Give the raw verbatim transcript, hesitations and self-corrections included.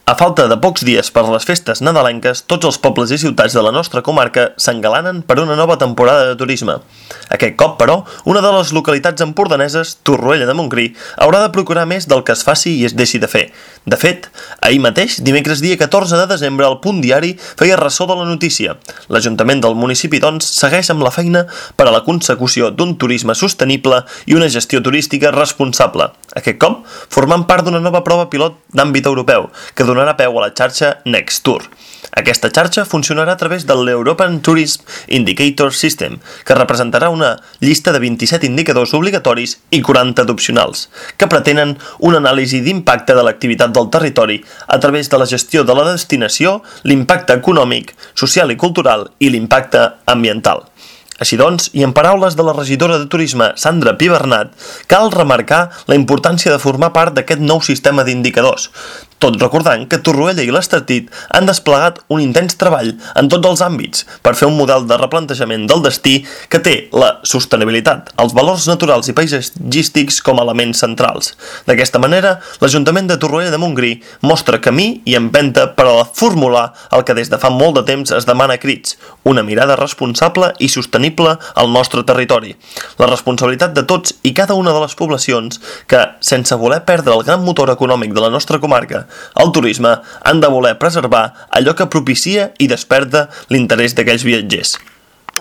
A falta de pocs dies per les festes nadalenques, tots els pobles i ciutats de la nostra comarca s'engalanen per una nova temporada de turisme. Aquest cop, però, una de les localitats empordaneses, Torroella de Montgrí, haurà de procurar més del que es faci i es deixi de fer. De fet, ahir mateix, dimecres dia catorze de desembre, el Punt Diari feia ressò de la notícia. L'Ajuntament del municipi, doncs, segueix amb la feina per a la consecució d'un turisme sostenible i una gestió turística responsable. Aquest cop, formant part d'una nova prova pilot d'àmbit europeu, que donarà peu a la xarxa Next Tour. Aquesta xarxa funcionarà a través de l'European Tourism Indicator System, que representarà una llista de vint-i-set indicadors obligatoris i quaranta d'opcionals, que pretenen una anàlisi d'impacte de l'activitat del territori a través de la gestió de la destinació, l'impacte econòmic, social i cultural i l'impacte ambiental. Així doncs, i en paraules de la regidora de Turisme, Sandra Pibernat, cal remarcar la importància de formar part d'aquest nou sistema d'indicadors, tot recordant que Torroella i l'Estartit han desplegat un intens treball en tots els àmbits per fer un model de replantejament del destí que té la sostenibilitat, els valors naturals i paisatgístics com a elements centrals. D'aquesta manera, l'Ajuntament de Torroella de Montgrí mostra camí i empenta per a formular el que des de fa molt de temps es demana a crits, una mirada responsable i sostenible al nostre territori. La responsabilitat de tots i cada una de les poblacions que, sense voler perdre el gran motor econòmic de la nostra comarca, el turisme, han de voler preservar allò que propicia i desperta l'interès d'aquells viatgers.